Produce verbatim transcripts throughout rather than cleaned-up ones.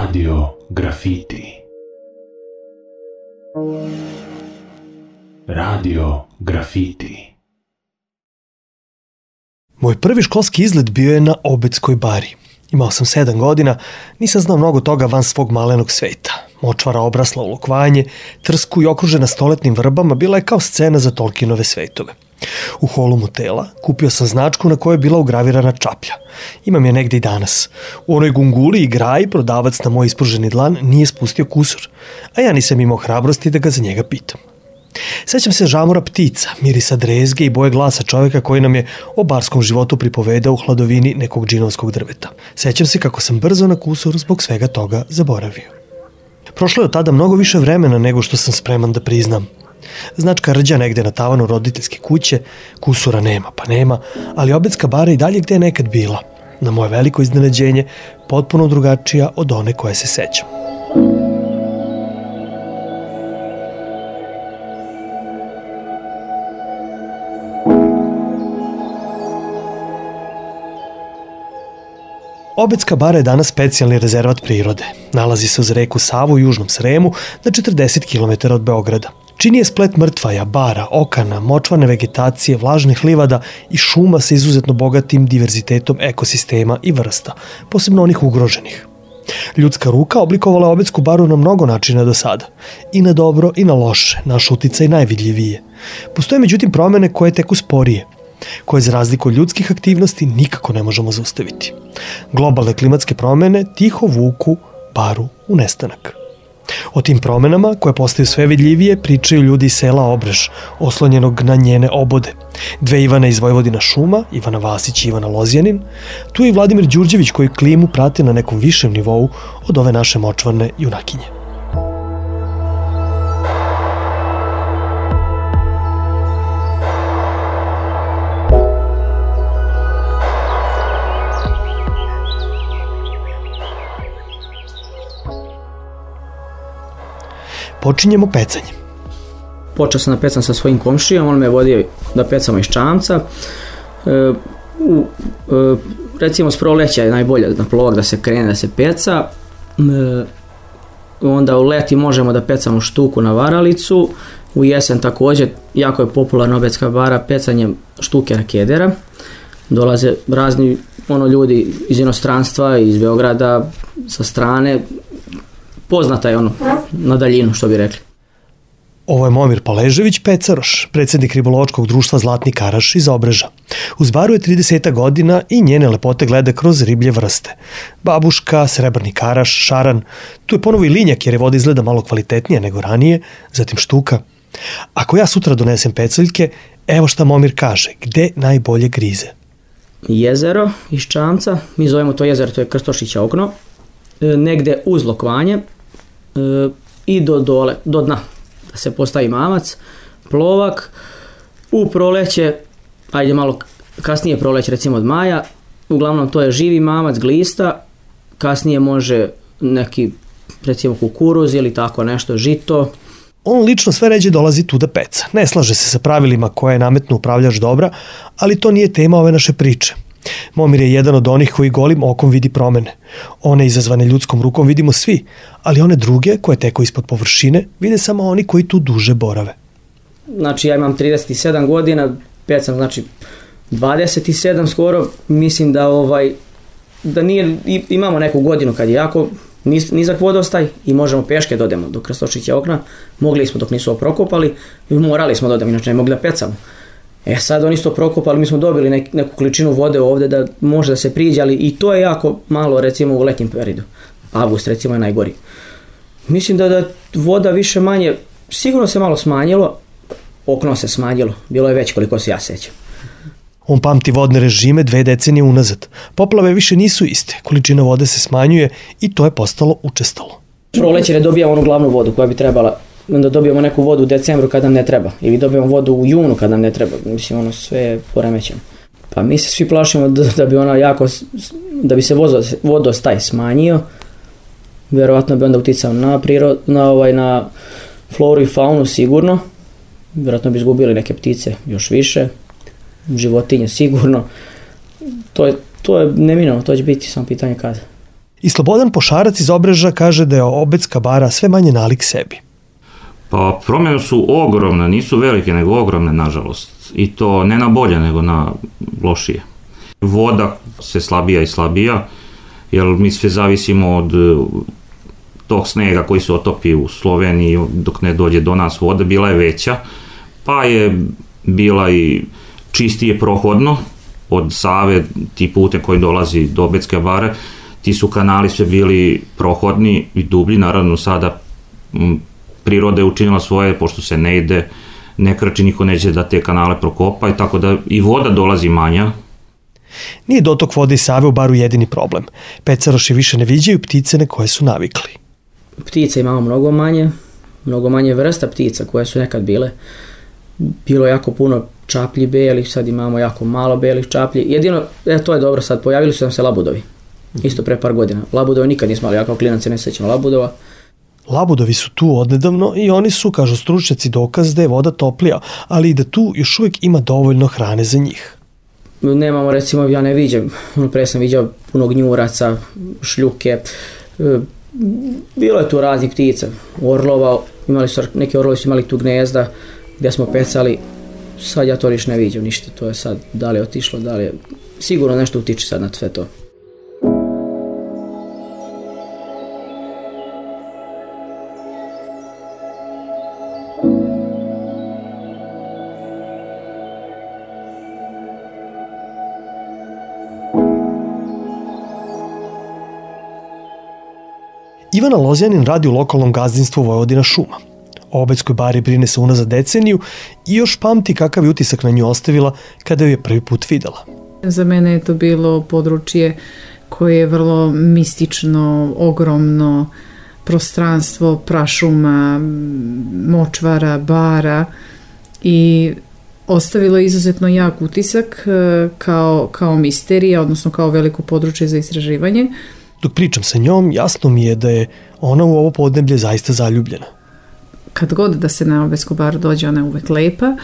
Radio Grafiti. Radio Grafiti. Moj prvi školski izlet bio je na Obedskoj bari. Imao sam sedam godina, nisam znao mnogo toga van svog malenog sveta. Močvara obrasla u lokvanje, trsku i okružena stoletnim vrbama bila je kao scena za Tolkienove svetove. U holu motela kupio sam značku na kojoj je bila ugravirana čaplja. Imam je negde i danas. U onoj gunguli i graji prodavac na moj ispruženi dlan nije spustio kusur, a ja nisam imao hrabrosti da ga za njega pitam. Sećam se žamora ptica, mirisa drezge i boje glasa čovjeka koji nam je o barskom životu pripovedao u hladovini nekog džinovskog drveta. Sećam se kako sam brzo na kusur zbog svega toga zaboravio. Prošlo je od tada mnogo više vremena nego što sam spreman da priznam. Značka rđa negde na tavanu roditeljske kuće, kusura nema pa nema, ali Obedska bara i dalje gde je nekad bila. Na moje veliko iznenađenje, potpuno drugačija od one koje se sećam. Obedska bara je danas specijalni rezervat prirode. Nalazi se uz reku Savu u južnom Sremu na četrdeset kilometara od Beograda. Čini je splet mrtvaja, bara, okana, močvarne vegetacije, vlažnih livada i šuma sa izuzetno bogatim diverzitetom ekosistema i vrsta, posebno onih ugroženih. Ljudska ruka oblikovala Obedsku baru na mnogo načina do sada. I na dobro i na loše, naš uticaj najvidljivije. Postoje međutim promene koje teku sporije, koje za razliku od ljudskih aktivnosti nikako ne možemo zaustaviti. Globalne klimatske promene tiho vuku baru u nestanak. O tim promenama, koje postaju sve vidljivije, pričaju ljudi iz sela Obrež, oslonjenog na njene obode. Dve Ivana iz Vojvodina šuma, Ivana Vasić i Ivana Lozjanin, tu je i Vladimir Đurđević koji klimu prati na nekom višem nivou od ove naše močvarne junakinje. Počinjemo pecanjem. Počeo sam da pecam sa svojim komšijom, on me vodio da pecamo iz čamca. E, u, e, recimo s proleća je najbolje na plovak da se krene da se peca. E, onda u leti možemo da pecamo štuku na varalicu. U jesen također jako je popularna Obedska bara pecanjem štuke na kedera. Dolaze razni ono, ljudi iz inostranstva, iz Beograda, sa strane. Poznata je ono, na daljinu, što bi rekli. Ovo je Momir Paležević Pecaroš, predsjednik ribolovačkog društva Zlatni Karaš iz Obreža. Uz baru je trideset godina i njene lepote gleda kroz riblje vrste. Babuška, srebrni karaš, šaran, tu je ponovo i linjak jer je voda izgleda malo kvalitetnije nego ranije, zatim štuka. Ako ja sutra donesem peceljke, evo šta Momir kaže, gde najbolje grize? Jezero iz čamca, mi zovemo to jezero, to je Krstošića okno, negde uz lokvanje i do dole, do dna, da se postavi mamac, plovak, u proleće, ajde malo kasnije proleće recimo od maja, uglavnom to je živi mamac, glista, kasnije može neki recimo kukuruz ili tako nešto, žito. On lično sve ređe dolazi tu da peca. Ne slaže se sa pravilima koje je nametno upravljač dobra, ali to nije tema ove naše priče. Momir je jedan od onih koji golim okom vidi promene. One izazvane ljudskom rukom vidimo svi, ali one druge koje teku ispod površine vide samo oni koji tu duže borave. Znači ja imam trideset sedam godina, pecam znači dvadeset sedam skoro, mislim da ovaj da nije, imamo neku godinu kad je jako niz, nizak vodostaj i možemo peške da odemo do Krstošića okna. Mogli smo dok nisu oprokopali, morali smo da odemo, inače ne mogli da pecamo. E sad oni su to prokopali, mi smo dobili nek, neku količinu vode ovde da može da se priđe, ali i to je jako malo recimo u letnjem periodu. Avgust recimo je najgori. Mislim da da voda više manje, sigurno se malo smanjilo, okno se smanjilo, bilo je već koliko se ja sećam. On pamti vodne režime dve decenije unazad. Poplave više nisu iste, količina vode se smanjuje i to je postalo učestalo. Proleće ne dobijamo onu glavnu vodu koja bi trebala, onda dobijamo neku vodu u decembru kad nam ne treba ili dobijamo vodu u junu kad nam ne treba, mislim ono sve je poremećeno. Pa mi se svi plašimo da, da bi ona jako, da bi se vodostaj smanjio, vjerovatno bi onda uticao na prirod, na ovaj, na floru i faunu sigurno, vjerojatno bi izgubili neke ptice još više, životinje sigurno, to je, to je neminovno, to će biti samo pitanje kada. I Slobodan Pošarac iz Obrežja kaže da je Obedska bara sve manje nalik sebi. Pa promjene su ogromne, nisu velike, nego ogromne, nažalost. I to ne na bolje, nego na lošije. Voda se slabija i slabija, jer mi sve zavisimo od tog snega koji se otopi u Sloveniji dok ne dođe do nas voda, bila je veća, pa je bila i čistije prohodno od Save, ti pute koji dolazi do Obedske bare, ti su kanali sve bili prohodni i dublji, naravno sada m, priroda je učinila svoje, pošto se ne ide, ne krči, niko neće da te kanale prokopa, i tako da i voda dolazi manja. Nije dotok vode iz Save u baru jedini problem. Pecaroši više ne viđaju ptice na koje su navikli. Ptica imamo mnogo manje, mnogo manje vrsta ptica koje su nekad bile. Bilo jako puno čaplji belih, sad imamo jako malo belih čaplji. Jedino, e, to je dobro sad, pojavili su nam se labudovi. Isto pre par godina. Labudovi nikad nismo imali, ja kao klinac se ne sećam labudova. Labudovi su tu odnedavno i oni su, kažu stručnjaci, dokaz da je voda toplija, ali i da tu još uvijek ima dovoljno hrane za njih. Nemamo, recimo, ja ne viđam, ono pre sam viđao puno gnjuraca, šljuke, bilo je tu raznih ptica, orlova, imali su, neki orlovi su imali tu gnezda gdje smo pecali, sad ja to niš ne viđam ništa, to je sad, da li je otišlo, da li je, sigurno nešto utiče sad na sve to. Ivana Lozjanin radi u lokalnom gazdinstvu Vojvodina šuma. O Obedskoj bari brine se unazad deceniju i još pamti kakav je utisak na nju ostavila kada ju je prvi put videla. Za mene je to bilo područje koje je vrlo mistično, ogromno prostranstvo, prašuma, močvara, bara i ostavilo je izuzetno jak utisak kao, kao misterija, odnosno kao veliko područje za istraživanje. Dok pričam sa njom, jasno mi je da je ona u ovo podneblje zaista zaljubljena. Kad god da se na Obedsku baru dođe, ona je uvek lepa,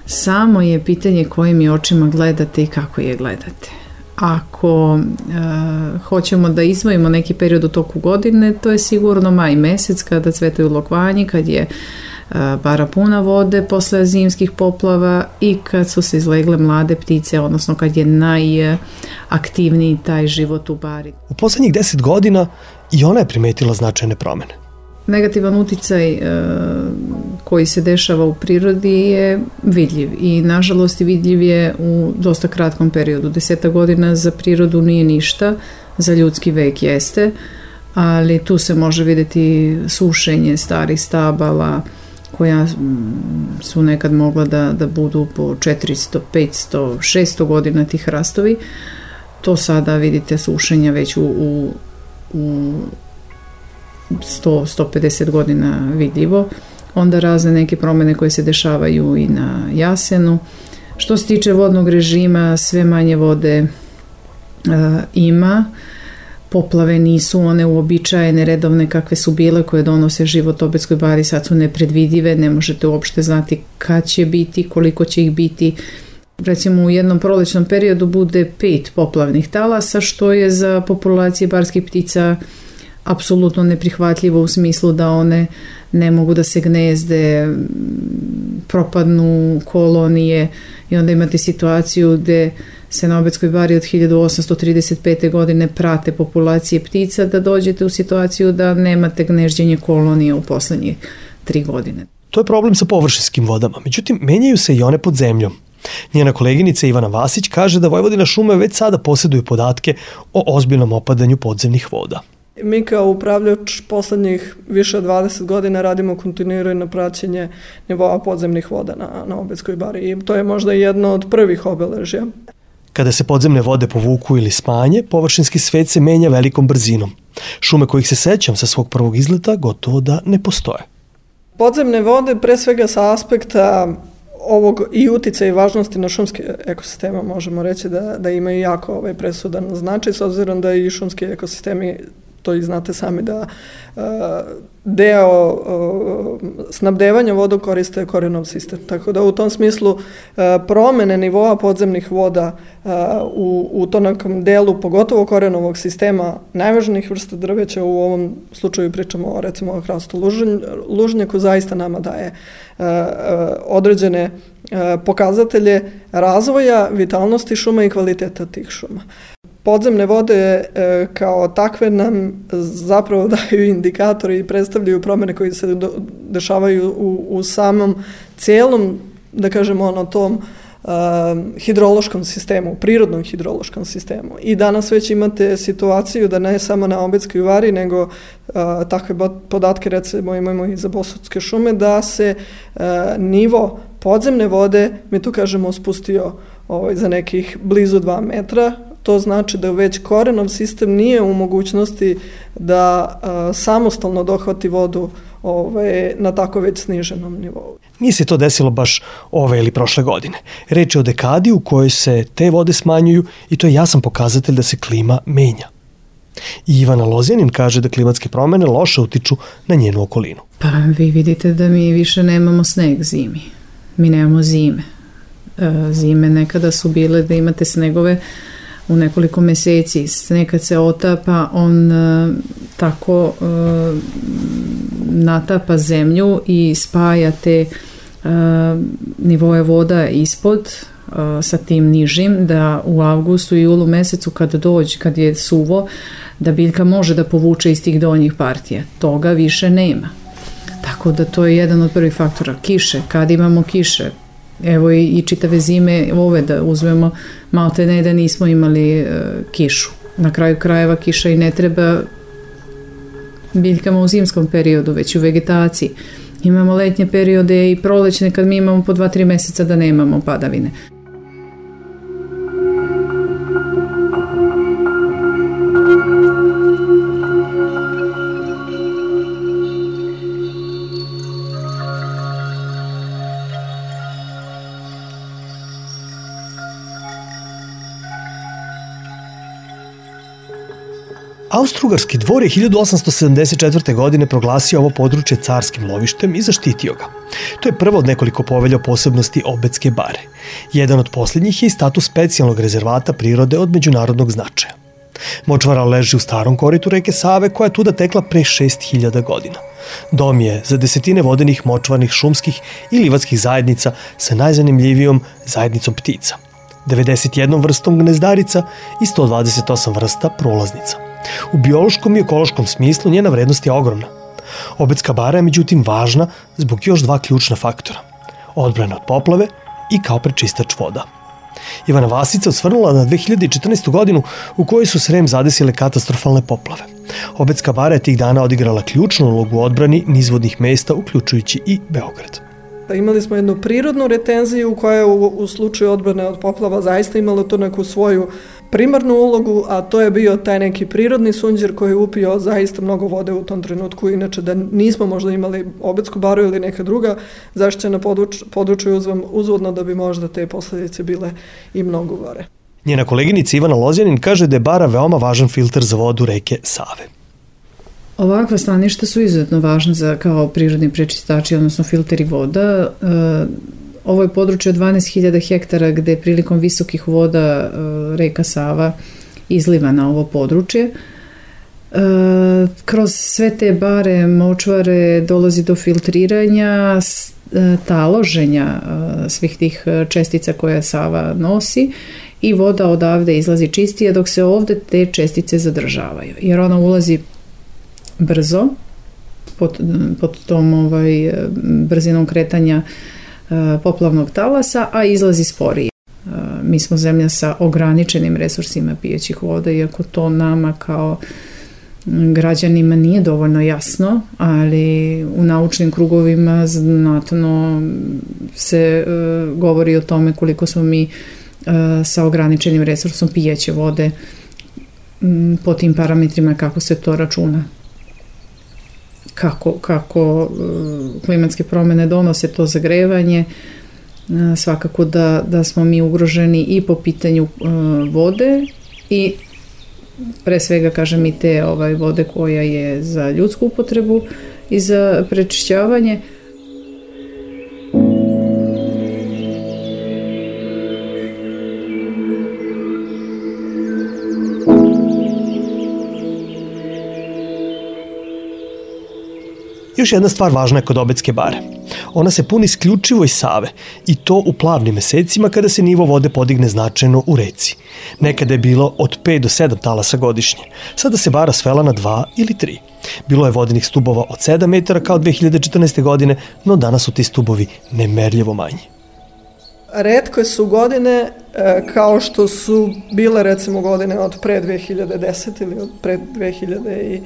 samo je pitanje kojim je očima gledate i kako je gledate. Ako e, hoćemo da izdvojimo neki period u toku godine, to je sigurno maj mesec kada cvetaju lokvanji, kad je e, bara puna vode posle zimskih poplava i kad su se izlegle mlade ptice, odnosno kad je najaktivniji taj život u bari. U poslednjih deset godina i ona je primetila značajne promene. Negativan uticaj e, koji se dešava u prirodi je vidljiv i nažalost vidljiv je u dosta kratkom periodu. Deseta godina za prirodu nije ništa, za ljudski vek jeste, ali tu se može vidjeti sušenje starih stabala koja su nekad mogla da, da budu po četiristo, petsto, šesto godina tih hrastovi. To sada vidite sušenja već u, u, u sto do sto pedeset godina vidljivo. Onda razne neke promjene koje se dešavaju i na jasenu. Što se tiče vodnog režima, sve manje vode e, ima. Poplave nisu one uobičajene, redovne kakve su bile, koje donose život Obedskoj bari, sad su nepredvidive, ne možete uopšte znati kad će biti, koliko će ih biti. Recimo u jednom prolećnom periodu bude pet poplavnih talasa, što je za populacije barskih ptica apsolutno neprihvatljivo u smislu da one ne mogu da se gnezde, propadnu kolonije i onda imate situaciju gde se na Obedskoj bari od hiljadu osamsto trideset pete. godine prate populacije ptica, da dođete u situaciju da nemate gnežđenje kolonije u poslednje tri godine. To je problem sa površinskim vodama, međutim menjaju se i one pod zemljom. Njena koleginica Ivana Vasić kaže da Vojvodina šume već sada posjeduju podatke o ozbiljnom opadanju podzemnih voda. Mi kao upravljač poslednjih više od dvadeset godina radimo kontinuirano praćenje nivoa podzemnih voda na, na Obedskoj bari i to je možda jedno od prvih obeležja. Kada se podzemne vode povuku ili smanje, površinski svet se menja velikom brzinom. Šume kojih se sećam sa svog prvog izleta gotovo da ne postoje. Podzemne vode pre svega sa aspekta ovog i uticaja i važnosti na šumske ekosistema možemo reći da, da imaju jako ovaj presudan značaj, s obzirom da i šumski ekosistemi to i znate sami da deo snabdevanja vodom koriste korenov sistem. Tako da u tom smislu promene nivoa podzemnih voda u, u tom nekom delu, pogotovo korenovog sistema najvažnijih vrsta drveća, u ovom slučaju pričamo o, recimo o hrastu lužnjaku, zaista nama daje određene pokazatelje razvoja, vitalnosti šuma i kvaliteta tih šuma. Podzemne vode e, kao takve nam zapravo daju indikatori i predstavljaju promjene koje se do, dešavaju u, u samom cijelom, da kažemo, ono tom uh, hidrološkom sistemu, prirodnom hidrološkom sistemu. I danas već imate situaciju da ne samo na Obedskoj vari, nego uh, takve podatke recimo imamo i za Bosutske šume, da se uh, nivo podzemne vode, mi tu kažemo, spustio ovaj, za nekih blizu dva metra. To znači da već korenov sistem nije u mogućnosti da a, samostalno dohvati vodu ovaj, na tako već sniženom nivou. Nije se to desilo baš ove ili prošle godine. Reč je o dekadi u kojoj se te vode smanjuju i to je jasan pokazatelj da se klima menja. I Ivana Lozjanin kaže da klimatske promene loše utiču na njenu okolinu. Pa vi vidite da mi više nemamo sneg zimi. Mi nemamo zime. E, zime nekada su bile da imate snegove u nekoliko meseci. Sneg kad se otapa, on e, tako e, natapa zemlju i spaja te e, nivoje voda ispod e, sa tim nižim, da u avgustu i julu mesecu kad dođe, kad je suvo, da biljka može da povuče iz tih donjih partija. Toga više nema. Tako da to je jedan od prvih faktora. Kiše, kad imamo kiše, evo i, i čitave zime ove da uzmemo, malte ne da nismo imali e, kišu. Na kraju krajeva kiša i ne treba biljkama u zimskom periodu, već u vegetaciji. Imamo letnje periode i prolećne kad mi imamo po dva, tri meseca da nemamo padavine. Austro-Ugarski dvor je hiljadu osamsto sedamdeset četvrte. godine proglasio ovo područje carskim lovištem i zaštitio ga. To je prvo od nekoliko povelja o posebnosti Obedske bare. Jedan od posljednjih je i status specijalnog rezervata prirode od međunarodnog značaja. Močvara leži u starom koritu reke Save koja je tuda tekla pre šest hiljada godina. Dom je za desetine vodenih, močvarnih, šumskih i livatskih zajednica sa najzanimljivijom zajednicom ptica, devedeset jednom vrstom gnezdarica i sto dvadeset osam vrsta prolaznica. U biološkom i ekološkom smislu njena vrednost je ogromna. Obedska bara je međutim važna zbog još dva ključna faktora. Odbrana od poplave i kao prečistač voda. Ivana Vasica osvrnula na dve hiljade četrnaestu. godinu u kojoj su Srem zadesile katastrofalne poplave. Obedska bara je tih dana odigrala ključnu ulogu u odbrani nizvodnih mesta, uključujući i Beograd. Imali smo jednu prirodnu retenziju koja je u, u slučaju odbrane od poplava zaista imala tu neku svoju primarnu ulogu, a to je bio taj neki prirodni sunđer koji je upio zaista mnogo vode u tom trenutku. Inače da nismo možda imali Obedsku baru ili neka druga zaštićena područja uzvodno da bi možda te posljedice bile i mnogo gore. Njena koleginica Ivana Lozjanin kaže da je bara veoma važan filter za vodu reke Save. Ovakva staništa su izuzetno važna za kao prirodni prečistači, odnosno filteri voda. Ovo je područje od dvanaest hiljada hektara gde prilikom visokih voda reka Sava izliva na ovo područje. Kroz sve te bare, močvare dolazi do filtriranja, taloženja svih tih čestica koje Sava nosi i voda odavde izlazi čistija, dok se ovde te čestice zadržavaju. Jer ona ulazi brzo pod, pod tom ovaj, brzinom kretanja poplavnog talasa, a izlazi sporije. Mi smo zemlja sa ograničenim resursima pijećih voda, iako to nama kao građanima nije dovoljno jasno, ali u naučnim krugovima znatno se uh, govori o tome koliko smo mi uh, sa ograničenim resursom pijeće vode um, po tim parametrima kako se to računa. Kako, kako uh, klimatske promene donose to zagrevanje, uh, svakako da, da smo mi ugroženi i po pitanju uh, vode i pre svega, kažem, i te ovaj, vode koja je za ljudsku upotrebu i za prečišćavanje. Još jedna stvar važna je kod Obedske bare. Ona se puni isključivo iz Save i to u plavnim mesecima kada se nivo vode podigne značajno u reci. Nekada je bilo od pet do sedam talasa godišnje. Sada se bara svela na dva ili tri. Bilo je vodenih stubova od sedam metara kao dve hiljade četrnaeste. godine, no danas su ti stubovi nemerljivo manji. Retke su godine kao što su bile recimo godine od pre dve hiljade desete. ili od pre dve hiljade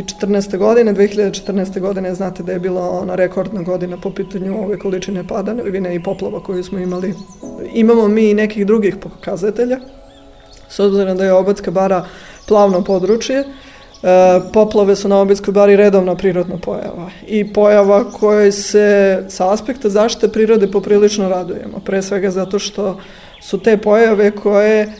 četrnaeste. godine. dve hiljade četrnaeste. godine znate da je bila ona rekordna godina po pitanju ove količine padavine i poplava koju smo imali. Imamo mi i nekih drugih pokazatelja. S obzirom da je Obedska bara plavno područje, poplave su na Obedskoj bari redovna prirodna pojava i pojava koje se sa aspekta zaštite prirode poprilično radujemo. Pre svega zato što su te pojave koje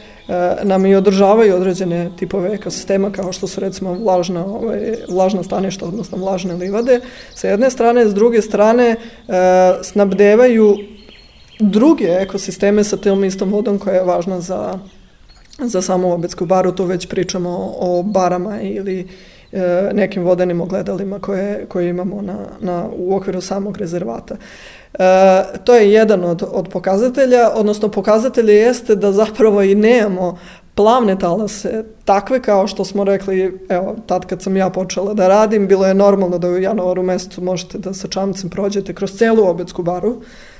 nam i održavaju određene tipove ekosistema kao što su recimo vlažna, ovaj, vlažna staništa, odnosno vlažne livade. Sa jedne strane, s druge strane snabdevaju druge ekosisteme sa tom istom vodom koja je važna za, za samu Obedsku baru. Tu već pričamo o barama ili e, nekim vodenim ogledalima koje, koje imamo na, na, u okviru samog rezervata. E, to je jedan od, od pokazatelja, odnosno pokazatelje jeste da zapravo i nemamo plavne talase takve kao što smo rekli, evo, tad kad sam ja počela da radim, bilo je normalno da u januaru mesecu možete da sa čamcem prođete kroz celu Obedsku baru,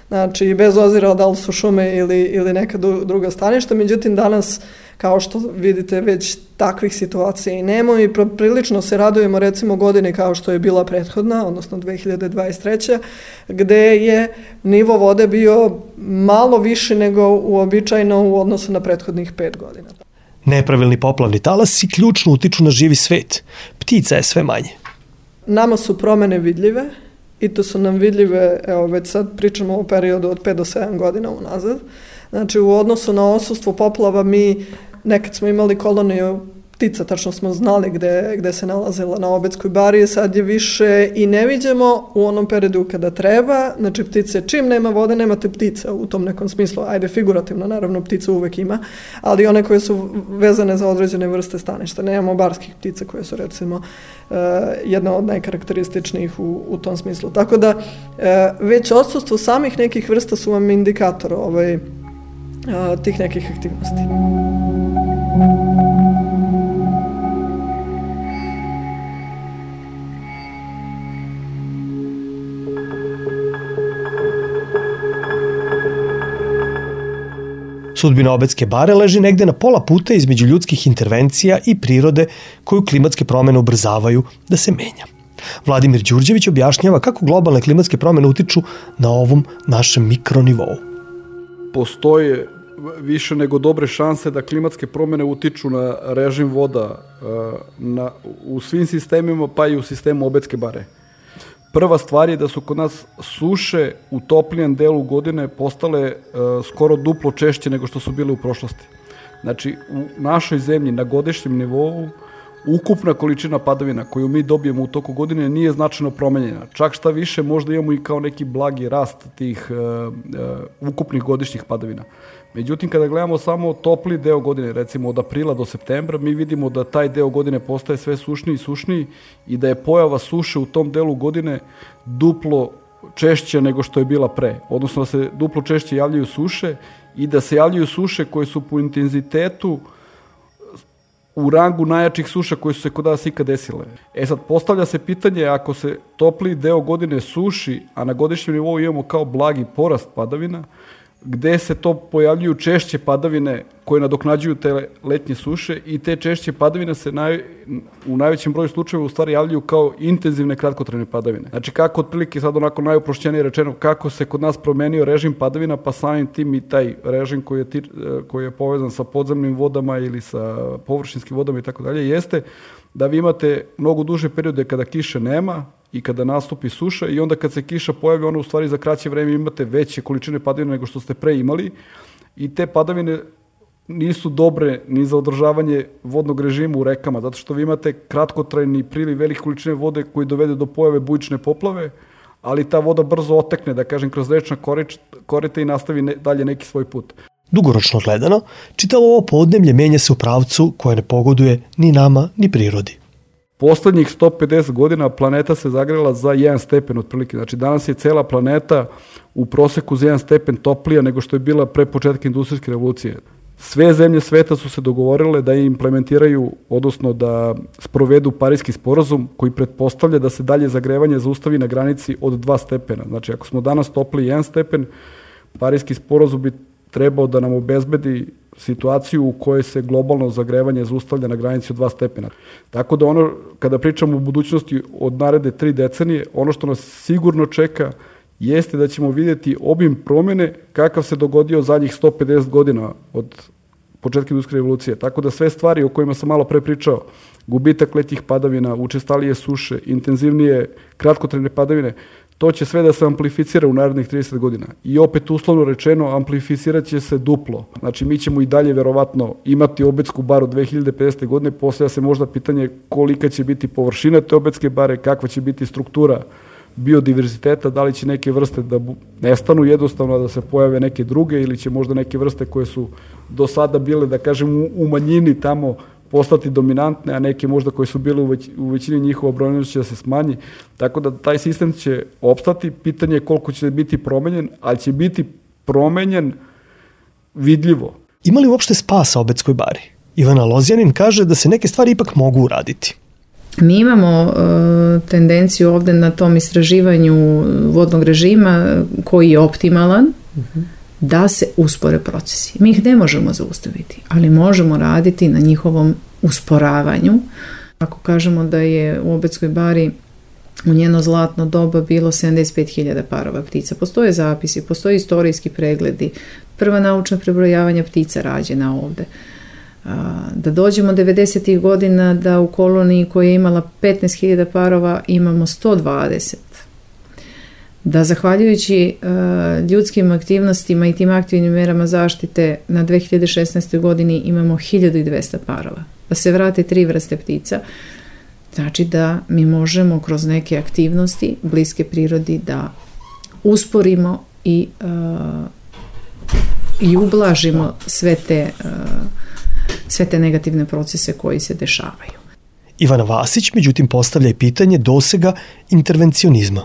znači bez obzira da li su šume ili, ili neka druga staništa, međutim danas, kao što vidite, već takvih situacija i nema i prilično se radujemo recimo godini kao što je bila prethodna, odnosno dve hiljade dvadeset treće. gde je nivo vode bio malo više nego uobičajeno u odnosu na prethodnih pet godina. Nepravilni poplavni talasi ključno utiču na živi svet. Ptica je sve manje. Nama su promene vidljive i to su nam vidljive, evo već sad pričamo o periodu od pet do sedam godina unazad. Znači u odnosu na odsustvo poplava mi nekad smo imali koloniju ptica, tačno smo znali gde, gde se nalazila na Obedskoj bari, sad je više i ne viđemo u onom periodu kada treba, znači ptice, čim nema vode, nemate ptice u tom nekom smislu, ajde figurativno, naravno ptica uvek ima, ali one koje su vezane za određene vrste staništa, nemamo barskih ptica koje su recimo uh, jedna od najkarakterističnijih u, u tom smislu, tako da uh, već odsustvo samih nekih vrsta su vam indikator ovaj, uh, tih nekih aktivnosti. Sudbina Obedske bare leži negde na pola puta između ljudskih intervencija i prirode koju klimatske promene ubrzavaju da se menja. Vladimir Đurđević objašnjava kako globalne klimatske promene utiču na ovom našem mikronivou. Postoje više nego dobre šanse da klimatske promene utiču na režim voda na, u svim sistemima, pa i u sistemu Obedske bare. Prva stvar je da su kod nas suše u toplijem delu godine postale e, skoro duplo češće nego što su bile u prošlosti. Znači, u našoj zemlji na godišnjem nivou ukupna količina padavina koju mi dobijemo u toku godine nije značajno promenjena. Čak šta više, možda imamo i kao neki blagi rast tih e, e, ukupnih godišnjih padavina. Međutim, kada gledamo samo topli deo godine, recimo od aprila do septembra, mi vidimo da taj deo godine postaje sve sušniji i sušniji i da je pojava suše u tom delu godine duplo češće nego što je bila pre. Odnosno da se duplo češće javljaju suše i da se javljaju suše koje su po intenzitetu u rangu najjačih suša koje su se kod nas ikad desile. E sad, postavlja se pitanje, ako se topli deo godine suši, a na godišnjem nivou imamo kao blagi porast padavina, gde se to pojavljuju češće padavine koje nadoknađuju te letnje suše i te češće padavine se naj, u najvećem broju slučajeva u stvari javljaju kao intenzivne kratkotrajne padavine. Znači kako otprilike sad onako najuprošćenije rečeno kako se kod nas promenio režim padavina, pa samim tim i taj režim koji je, koji je povezan sa podzemnim vodama ili sa površinskim vodama i tako dalje, jeste da vi imate mnogo duže periode kada kiše nema i kada nastupi suša i onda kad se kiša pojavi, ona u stvari za kraće vreme imate veće količine padavina nego što ste pre imali i te padavine nisu dobre ni za održavanje vodnog režima u rekama, zato što vi imate kratkotrajni priliv velike količine vode koji dovede do pojave bujične poplave, ali ta voda brzo otekne, da kažem, kroz rečna korita i nastavi ne, dalje neki svoj put. Dugoročno gledano, čitavo ovo podneblje menja se u pravcu koje ne pogoduje ni nama, ni prirodi. Poslednjih sto pedeset godina planeta se zagrela za jedan stepen otprilike. Znači danas je cela planeta u proseku za jedan stepen toplija nego što je bila pre početka industrijske revolucije. Sve zemlje sveta su se dogovorile da implementiraju, odnosno da sprovedu Pariski sporazum koji pretpostavlja da se dalje zagrevanje zaustavi na granici od dva stepena. Znači ako smo danas topli jedan stepen, Pariski sporazum bi trebao da nam obezbedi situaciju u kojoj se globalno zagrevanje zaustavlja na granici od dva stepena. Tako da ono, kada pričamo o budućnosti od naredne tri decenije, ono što nas sigurno čeka jeste da ćemo vidjeti obim promjene kakav se dogodio zadnjih sto pedeset godina od početka industrijske revolucije. Tako da sve stvari o kojima sam malo pre pričao, gubitak letnjih padavina, učestalije suše, intenzivnije kratkotrajne padavine, to će sve da se amplificira u narednih trideset godina. I opet uslovno rečeno, amplificirat će se duplo. Znači mi ćemo i dalje verovatno imati Obetsku baru dve hiljade pedesete godine, postavlja se možda pitanje kolika će biti površina te Obetske bare, kakva će biti struktura biodiverziteta, da li će neke vrste da nestanu jednostavno, da se pojave neke druge ili će možda neke vrste koje su do sada bile, da kažem, u manjini tamo postati dominantne, a neke možda koje su bile u, već, u većini njihova brojnost će da se smanji. Tako da taj sistem će opstati, pitanje je koliko će biti promenjen, ali će biti promenjen vidljivo. Ima li uopšte spasa Obetskoj bari? Ivana Lozjanin kaže da se neke stvari ipak mogu uraditi. Mi imamo uh, tendenciju ovde na tom istraživanju vodnog režima koji je optimalan, uh-huh. da se uspore procesi. Mi ih ne možemo zaustaviti, ali možemo raditi na njihovom usporavanju. Ako kažemo da je u Obetskoj bari u njeno zlatno doba bilo sedamdeset pet hiljada parova ptica, postoje zapisi, postoje istorijski pregledi, prva naučna prebrojavanja ptica rađena ovde. Da dođemo devedesetih godina da u koloniji koja je imala petnaest hiljada parova imamo sto dvadeset. Da zahvaljujući uh, ljudskim aktivnostima i tim aktivnim merama zaštite na dve hiljade šesnaestoj godini imamo hiljadu dvesta parova. Da se vrate tri vrste ptica, znači da mi možemo kroz neke aktivnosti bliske prirodi da usporimo i, uh, i ublažimo sve te, uh, sve te negativne procese koji se dešavaju. Ivana Vasić međutim postavlja i pitanje dosega intervencionizma.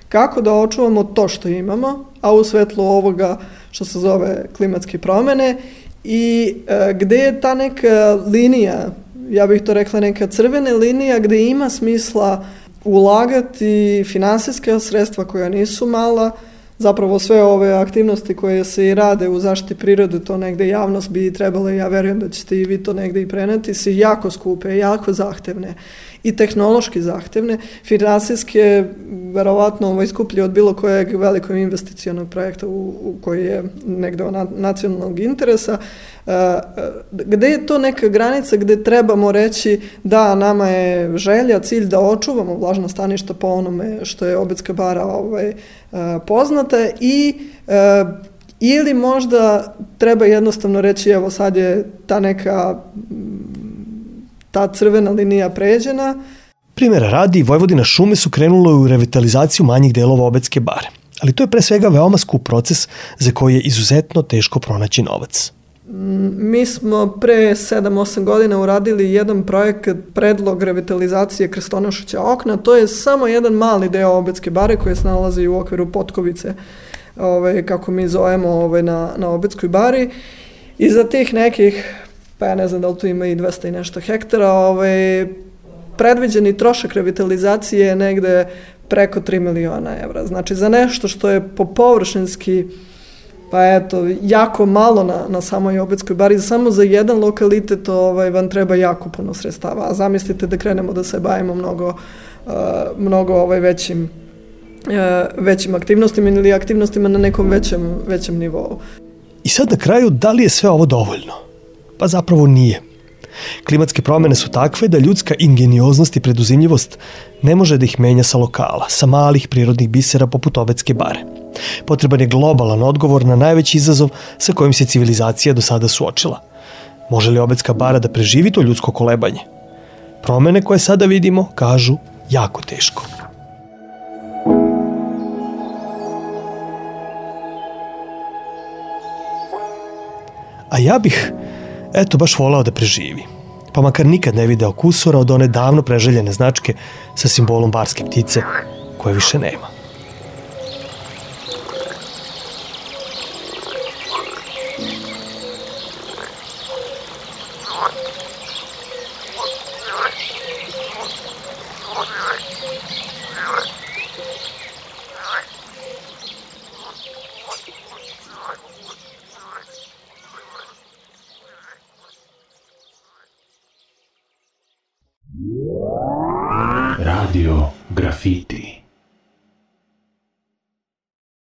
Kako da očuvamo to što imamo, a u svetlu ovoga što se zove klimatske promjene i e, gde je ta neka linija, ja bih to rekla neka crvena linija gde ima smisla ulagati finansijska sredstva koja nisu mala, zapravo sve ove aktivnosti koje se i rade u zaštiti prirode, to negde javnost bi trebala, ja verujem da ćete i vi to negde i preneti, su jako skupe, jako zahtevne i tehnološki zahtevne, finansijske verovatno ovaj, skuplje od bilo kojeg velikog investicionog projekta u, u koji je negde od nacionalnog interesa. Uh, gde je to neka granica gde trebamo reći da nama je želja, cilj da očuvamo vlažna staništa po onome što je Obetska bara ovaj, uh, poznata i uh, ili možda treba jednostavno reći evo sad je ta neka ta crvena linija pređena. Primjera radi, Vojvodina šume su krenule u revitalizaciju manjih delova Obetske bare, ali to je pre svega veoma skup proces za koji je izuzetno teško pronaći novac. Mi smo pre sedam osam godina uradili jedan projekat predlog revitalizacije Krstonošića okna, to je samo jedan mali deo Obetske bare koji se nalazi u okviru Potkovice, ovaj, kako mi zovemo ovaj, na, na Obetskoj bari i za tih nekih, pa ja ne znam da li tu ima i dvesta i nešto hektara, ovaj, predviđeni trošak revitalizacije je negde preko tri miliona evra. Znači za nešto što je po površinski, pa eto, jako malo na, na samoj Obetskoj bari, samo za jedan lokalitet ovaj, vam treba jako puno sredstava. A zamislite da krenemo da se bavimo mnogo, uh, mnogo ovaj, većim, uh, većim aktivnostima ili aktivnostima na nekom većem, većem nivou. I sad na kraju, da li je sve ovo dovoljno? Pa zapravo nije. Klimatske promjene su takve da ljudska ingenioznost i preduzimljivost ne može da ih menja sa lokala, sa malih prirodnih bisera poput Obetske bare. Potreban je globalan odgovor na najveći izazov sa kojim se civilizacija do sada suočila. Može li Obedska bara da preživi to ljudsko kolebanje? Promene koje sada vidimo, kažu, jako teško. A ja bih, eto, baš volao da preživi. Pa makar nikad ne video kusura od one davno preželjene značke sa simbolom barske ptice, koje više nema. Radio Graffiti.